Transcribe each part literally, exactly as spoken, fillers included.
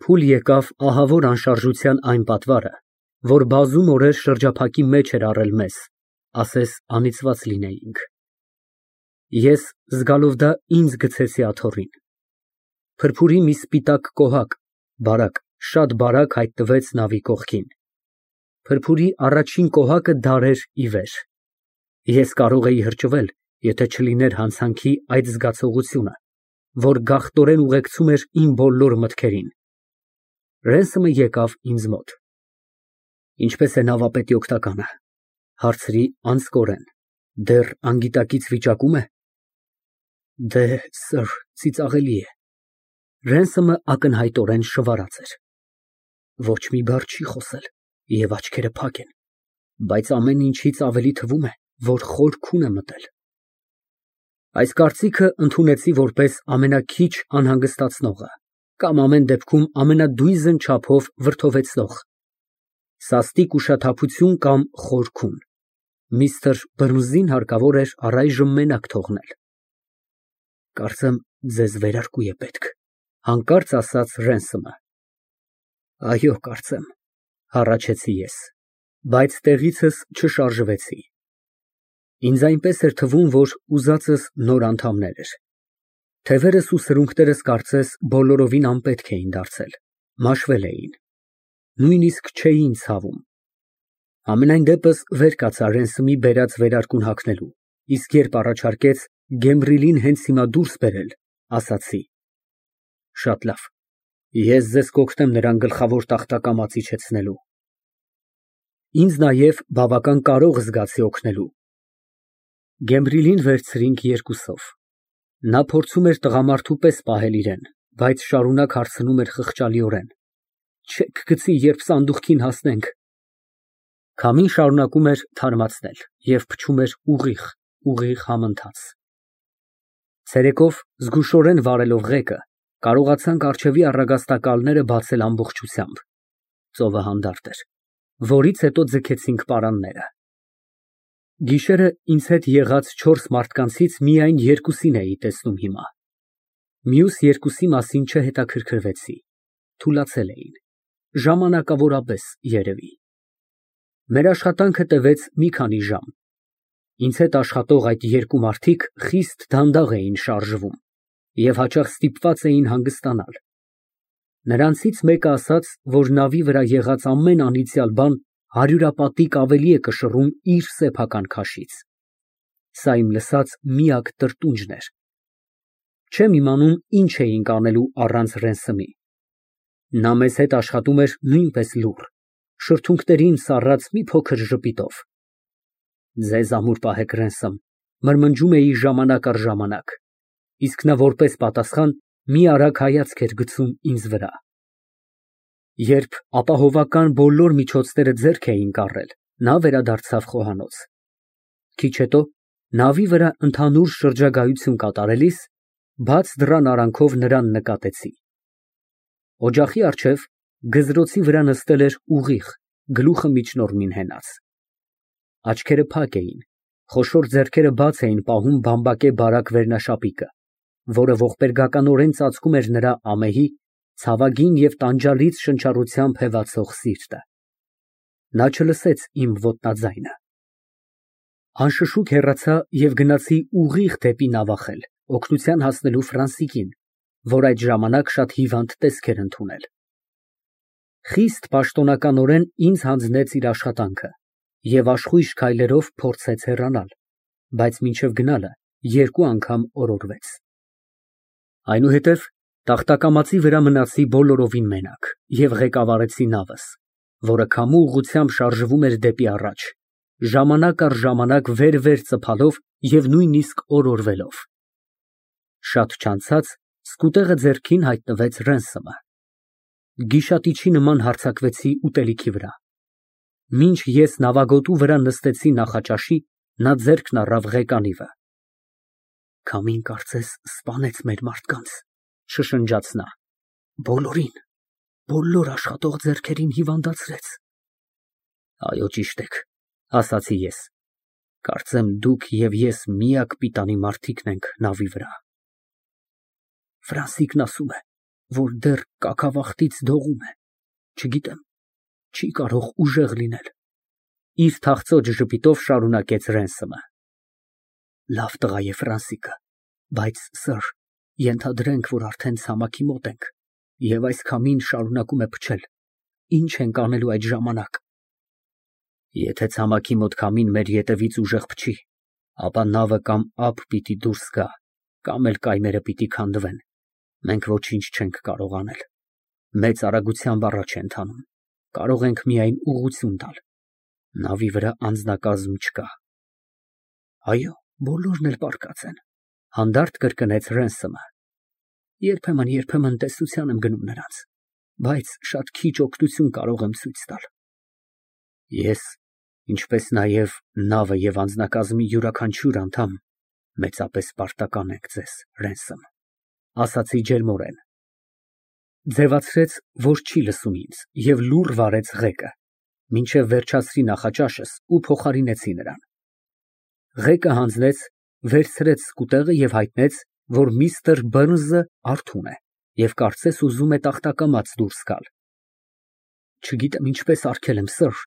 փուլ եկավ ահավոր անշարժության այն պատվարը, որ բազում օրեր շրջափակի մեջ էր առել մեզ, ասես անիծված լինեինք։ Ես զգալով դա ինձ գցեցի աթոռին։ Փրփուրի մի սպիտակ կոհակ, բարակ, շատ բարակ հայտնվեց նավի կողքին։ Փրփուրի առաջին կոհակը դար էր ի վեր։ Ես կարող էի հրճվել, եթե չլիներ հանցանքի այդ զգացողությունը, որ գաղթորեն ուղեկցում էր իմ բոլոր մտքերին։ Ռենսոմը եկավ ինձ մոտ։ Ինչպե՞ս է նավապետի օգնականը, հարցրի անձկորեն, դեռ անգիտակից վիճակու՞մ է։ Դե, սըր, ծիծաղելի է։ Ռենսոմը ակնհայտորեն շվարած էր։ Ոչ մի բառ չի խոսել և աչքերը փակ են, բայց ամեն ինչից ավելի թվում է, որ խորքուն է մտել։ Այս կարծիքը ընդունեցի որպես ամենաքիչ անհանգստացնողը կամ ամեն դեպքում ամենադույզն չափով վրդովեցնող։ Սաստիկ ուշաթափություն կամ խորքուն։ Միստր Բըրնսին հարկավոր էր առայժմ մենակ թողնել։ Կարծեմ, ձեզ վերարկու է պետք, հանկարծ ասաց Ռենսոմը։ Այո, կարծեմ, հառաչեցի ես, բայց տեղիցս չշարժվեցի։ Ինձ այնպես էր թվում, որ ուզածս նոր անդամներ էր։ Թևերս ու սրունքներս կարծես բոլորովին անպետք էին դարձել, մաշվել էին, նույնիսկ չէին ցավում։ Համենայն դեպս վեր կացա Ռենսոմի բերած վերարկուն հագնելու, իսկ երբ առաջարկեց Գեմբրիլին հենց հիմա դուրս բերել, ասացի. Շատ լավ, ես ձեզ կօգնեմ նրան գլխավոր տախտակամած իջեցնելու։ Ինձ նաև բավական կարող զգացի օգնելու։ Գեմբրիլին վերցրինք երկուսով։ Նա փորձում էր տղամարդու պես պահել իրեն, բայց շարունակ հարցնում էր խղճալիորեն. Չե՞ք գցի, երբ սանդուղքին հասնենք։ Քամին շարունակում էր թարմացնել և փչում էր ուղիղ, ուղիղ համընթաց։ Ցերեկով, զգուշորեն վարելով ղեկը, կարողացանք առջևի առագաստակալները բացել ամբողջությամբ։ Ծովը հանդարտ էր, որից հետո ձգեցինք պարանները։ Գիշերը ինձ հետ եղած չորս մարդկանցից միայն երկուսին էի տեսնում հիմա։ Մյուս երկուսի մասին չհետաքրքրվեցի, թուլացել էին, ժամանակավորապես երևի։ Մեր աշխատանքը տևեց մի քանի ժամ։ Ինձ հետ աշխատող այդ երկու մարդիկ խիստ դանդաղ էին շարժվում և հաճախ ստիպված էին հանգստանալ։ Նրանցից մեկը ասաց, որ նավի վրա եղած ամեն անիծյալ բան հարյուրապատիկ ավելի է կշռում իր սեփական քաշից։ Սա իմ լսած միակ տրտունջն էր։ Չեմ իմանում ինչ էինք անելու առանց Ռենսոմի։ Նա մեզ հետ աշխատում էր նույնպես լուռ, շրթունքներին սառած մի փոքր ժպիտով։ Ձեզ ամուր պահեք, Ռենսոմ, մրմնջում էի ժամանակ առ ժամանակ, իսկ նա որպես պատասխան մի արագ հայացք էր գցում ինձ վրա։ Երբ ապահովական բոլոր միջոցները ձեռք էին կառել, նա վերադարձավ խոհանոց։ Քիչ հետո, նավի վրա ընդհանուր շրջագայություն կատարելիս, բաց դռան արանքով նրան նկատեցի։ Օջախի առջև գզրոցի վրա նստել էր ուղիղ, գլուխը միջնորմին հենած։ Աչքերը փակ էին, խոշոր ձեռքերը բաց էին պահում բամբակե բարակ վերնաշապիկը, որը ողբերգականորեն ծածկում էր նրա ամեհի, ցավագին և տանջալից շնչառությամբ հևացող սիրտը։ Նա չլսեց իմ ոտնաձայնը։ Անշշուկ հեռացա և գնացի ուղիղ դեպի նավախել, օգնության հասնելու Ֆրանսիկին, որ այդ ժամանակ շատ հիվանդ տեսք էր ընդունել։ Խիստ պաշտոնականորեն ինձ հանձնեց իր աշխատանքը և աշխույժ քայլերով փորձեց հեռանալ, բայց մինչև գնալը երկու անգամ օրորվեց։ Այնուհետև տախտակամածի վրա մնացի բոլորովին մենակ և ղեկավարեցի նավս, որը քամու ուղղությամբ շարժվում էր դեպի առաջ, ժամանակ առ ժամանակ վեր֊վեր ծփալով և նույնիսկ օրորվելով։ Շատ չանցած սկուտեղը ձեռքին հայտնվեց Ռենսոմը։ Գիշատիչի նման հարձակվեցի ուտելիքի վրա։ Մինչ ես նավագոտու վրա նստեցի նախաճաշի, նա ձեռքն առավ ղեկանիվը։ Քամին կարծես սպանեց մեր մարդկանց, շշնջաց նա, բոլորին, բոլոր աշխատող ձեռքերին հիվանդացրեց։ Այո, ճիշտ եք, ասացի ես, կարծեմ դուք և ես միակ պիտանի մարդիկն ենք նավի վրա։ Ֆրանսիկն ասում է, որ դեռ կաքավախտից դողում է, չգիտեմ, չի կարող ուժեղ լինել։ Իր թախծոտ ժպիտով շարունակեց Ռենսումը։ Լավ տղա է Ֆրանսիկը, բայց, սըր, ենթադրենք, որ արդեն ցամաքի մոտ ենք, և այս քամին շարունակում է փչել, ինչ ենք անելու այդ ժամանակ։ Եթե ցամաքի մոտ քամին մեր ետևից ուժեղ փչի, ապա նավը կամ ափ պիտի դուրս գա, կամ էլ կայմերը պիտի քանդվեն, մենք ոչինչ չենք կարող անել, մեծ արագությամբ առաջ է ընթանում, կարող ենք միայն ուղղություն տալ, նավի վրա անձնակազմ չկա։ Այո, բոլորն էլ պառկած են, հանդարտ կրկնեց Ռենսումը։ Երբեմն, երբեմն տեսության եմ գնում նրանց, բայց շատ քիչ օգնություն կարող եմ ցույց տալ։ Ես, ինչպես նաև նավը և անձնակազմի յուրաքանչյուր անդամ, մեծապես պարտական ենք ձեզ, Ռենսում, ասացի ջերմորեն։ Ձևացրեց, որ չի լսում ինձ, և լուռ վարեց ղեկը, մինչև վերջացրի նախաճաշս ու փոխարինեցի նրան։ Ղեկը հանձնեց, վերցրեց սկուտեղը և հայտնեց, որ միստր Բըրնսը արթուն է և կարծես ուզում է տախտակամած դուրս գալ։ Չգիտեմ ինչպես արգելեմ, սըր,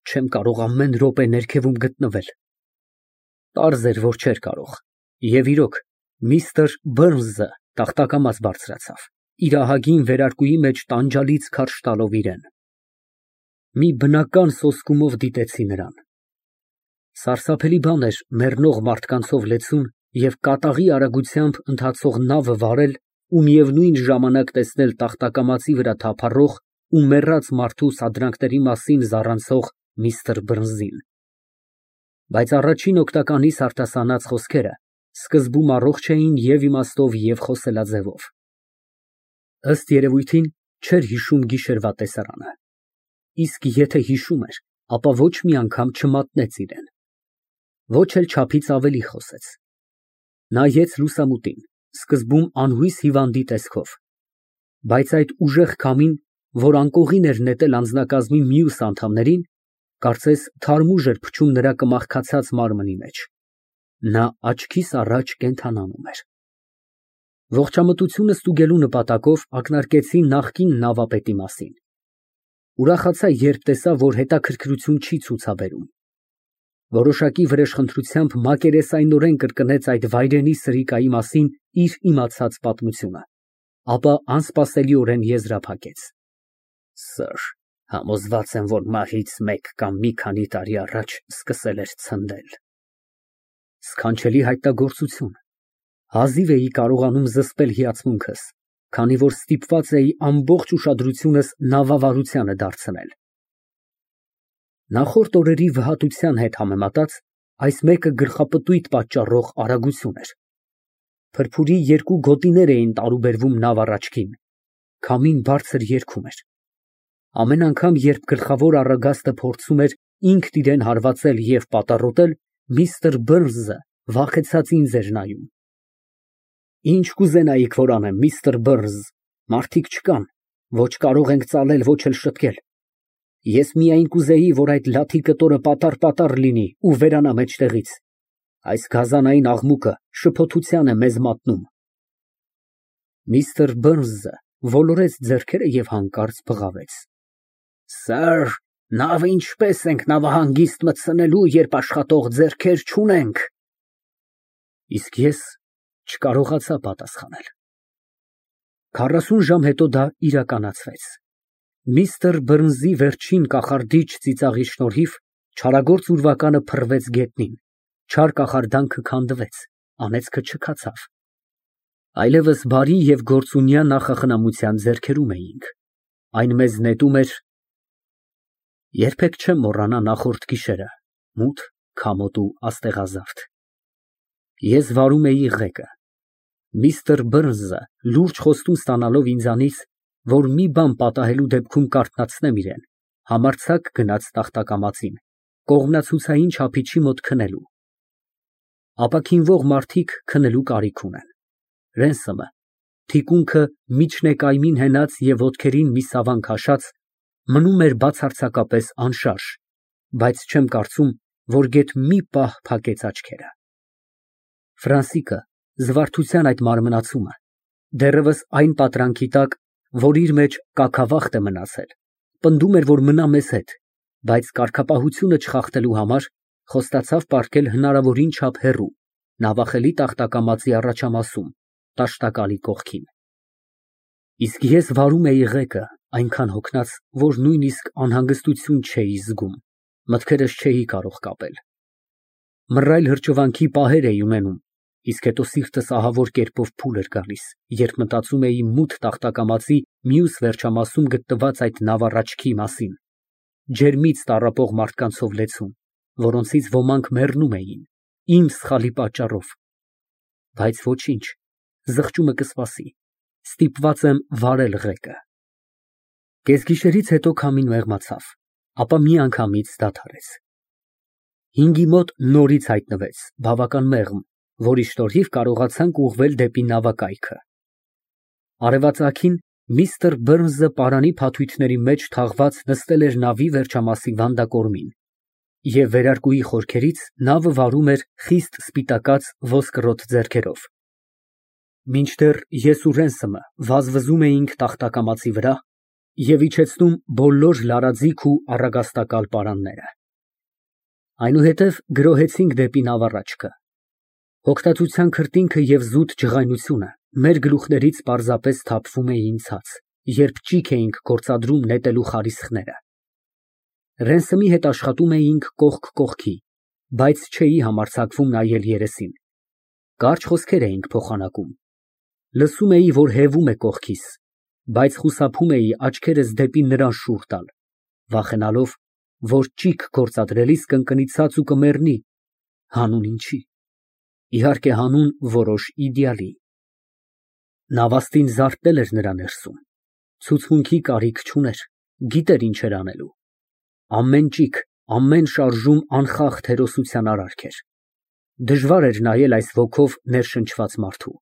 չեմ կարող ամեն րոպե ներքևում գտնվել։ Պարզ էր, որ չէր կարող, և իրոք, միստր Բըրնսը տախտակամած բարձրացավ, իր ահագին վերարկուի մեջ տանջալից քարշ տալով իրեն։ Մի բնական սոսկումով դիտեցի նրան։ Սարսափելի բան էր մեռնող մարդկանցով լեցուն և կատաղի արագությամբ ընթացող նավը վարել ու միևնույն ժամանակ տեսնել տախտակամածի վրա թափառող ու մեռած մարդու սադրանքների մասին զառանցող միստր Բըրնսին։ Բայց առաջին օգնականիս արտասանած խոսքերը սկզբում առողջ էին և իմաստով, և խոսելաձևով։ Ըստ երևույթին, չէր հիշում գիշերվա տեսարանը, իսկ եթե հիշում էր, ապա ոչ մի անգամ չմատնեց իրեն, ոչ էլ չափից ավելի խոսեց։ Նայեց լուսամուտին, սկզբում անհույս հիվանդի տեսքով, բայց այդ ուժեղ քամին, որ անկողին էր նետել անձնակազմի մյուս անդամներին, կարծես թարմուժ էր փչում նրա կմախքացած մարմնի մեջ։ Նա աչքիս առաջ կենդանանում էր։ Ողջամտությունը ստուգելու նպատակով ակնարկեցի նախկին նավապետի մասին։ Ուրախացա, երբ տեսա, որ հետաքրքրություն չի ցուցաբերում։ Որոշակի վրեժխնդրությամբ մակերեսայնորեն կրկնեց այդ վայրենի սրիկայի մասին իր իմացած պատմությունը, ապա անսպասելիորեն եզրափակեց. Սըր, համոզված եմ, որ մահից մեկ կամ մի քանի տարի առաջ սկսել էր ցնդել։ Սքանչելի հայտնագործություն։ Հազիվ էի կարողանում զսպել հիացմունքս, քանի որ ստիպված էի ամբողջ ուշադրությունս նավավարությանը դարձնել։ Նախորդ օրերի վհատության հետ համեմատած, այս մեկը գլխապտույտ պատճառող արագություն էր։ Փրփուրի երկու գոտիներ էին տարուբերվում նավ առաջքին, քամին բարձր երգում էր։ Ամեն անգամ, երբ գլխավոր առագաստը փորձում էր ինքն իրեն հարվածել և պատառոտել, միստր Բըրնսը վախեցած ինձ էր նայում։ Ինչ կուզենայիք, որ անեմ, միստր Բըրնս, մարդիկ չկան, ոչ կարող ենք ծալել, ոչ էլ շտկել։ Ես միայն կուզեի, որ այդ լաթի կտորը պատառ֊պատառ լինի ու վերանա մեջտեղից։ Այս գազանային աղմուկը շփոթության է մեզ մատնում։ Միստր Բըրնսը ոլորեց ձեռքերը և հանկարծ բղավեց. Սըր, նավը ինչպես ենք նավահանգիստ մտցնելու, երբ աշխատող ձեռքեր չունենք։ Իսկ ես չկարողացա պատասխանել։ Քառասուն ժամ հետո դա իրականացվեց։ Միստր Բըրնսի վերջին կախարդիչ ծիծաղի շնորհիվ չարագործ ուրվականը փռվեց գետնին, չար կախարդանքը քանդվեց, անեծքը չքացավ։ Այլևս բարի և գործունյա նախախնամության ձեռքերում էինք, այն մեզ նետում էր… Երբեք չեմ մոռանա նախորդ գիշերը, մութ, քամոտ ու աստեղազարդ։ Ես վարում էի ղեկը։ Միստր Բըրնսը, լուրջ խոստում ստանալով ինձանից, որ մի բան պատահելու դեպքում կարթնացնեմ իրեն, համարձակ գնաց տախտակամածին, կողմնացուցային չափիչի մոտ քնելու։ Ապաքինվող մարդիկ քնելու կարիք ունեն։ Ռենսումը, թիկունքը միջնակայմին հենած և ոտքերին մի սավան քաշած, մնում էր բացարձակապես անշարժ, բայց չեմ կարծում, որ գեթ մի պահ փակեց աչքերը։ Ֆրանսիկը, զվարթության այդ մարմնացումը, դեռևս այն պատրանքի տակ, որ իր մեջ կաքավախտ է մնացել, պնդում էր, որ մնա մեզ հետ, բայց կարգապահությունը չխախտելու համար խոստացավ պառկել հնարավորին չափ հեռու, նավախելի տախտակամածի առաջամասում, տաշտակալի կողքին։ Իսկ ես վարում էի ղեկը, այնքան հոգնած, որ նույնիսկ անհանգստություն չէի զգում, մտքերս չէի կարող կապել։ Մռայլ հրճվանքի պահեր էի ունենում, իսկ հետո սիրտս ահավոր կերպով փուլ էր գալիս, երբ մտածում էի մութ տախտակամածի մյուս վերջամասում գտնված այդ նավառաչքի մասին, ջերմից տառապող մարդկանցով լեցուն, որոնցից ոմանք մեռնում էին, իմ սխալի պատճառով, բայց ոչինչ, զղջումը կսպասի, ստիպված եմ վարել ղեկը։ Կեսգիշերից հետո քամին մեղմացավ, ապա միանգամից դադարեց։ Հինգի մոտ նորից հայտնվեց, բավական մեղմ, որի շնորհիվ կարողացանք ուղղվել դեպի նավակայքը։ Արևածագին միստր Բըրնսը պարանի փաթույթների մեջ թաղված նստել էր նավի վերջամասի վանդակորմին, և վերարկուի խորքերից նավը վարում էր խիստ սպիտակած ոսկրոտ ձեռքերով։ Մինչդեռ ես ու Ռենսըմը վազվզում էինք տախտակամածի վրա և իջեցնում բոլոր լարաձիգ ու առագաստակալ պարանները։ Այնուհետև գրոհեցինք դեպի նավառաչքը։ Հոգնածության քրտինքը և զուտ ջղայնությունը մեր գլուխներից պարզապես թափվում էին ցած, երբ ճիգ էինք գործադրում նետելու խարիսխները։ Ռենսըմի հետ աշխատում էինք կողք կողքի, բայց չէի համարձակվում նայել երեսին։ Կարճ խոսքեր էինք փոխանակում։ Լսում էի, որ հևում է կողքիս, բայց խուսափում էի աչքերս դեպի նրան շուռ տալ, վախենալով, որ ճիգ գործադրելիս կընկնի ցած ու կմեռնի, հանուն ինչի, իհարկե հանուն որոշ իդեալի։ Նավաստին զարթնել էր նրա ներսում, ցուցմունքի կարիք չուներ, գիտեր ինչ էր անելու։ Ամեն ճիգ, ամեն շարժում անխախտ հերոսության արարք էր։ Դժվար էր նայել այս ոգով ներշնչված մարդու։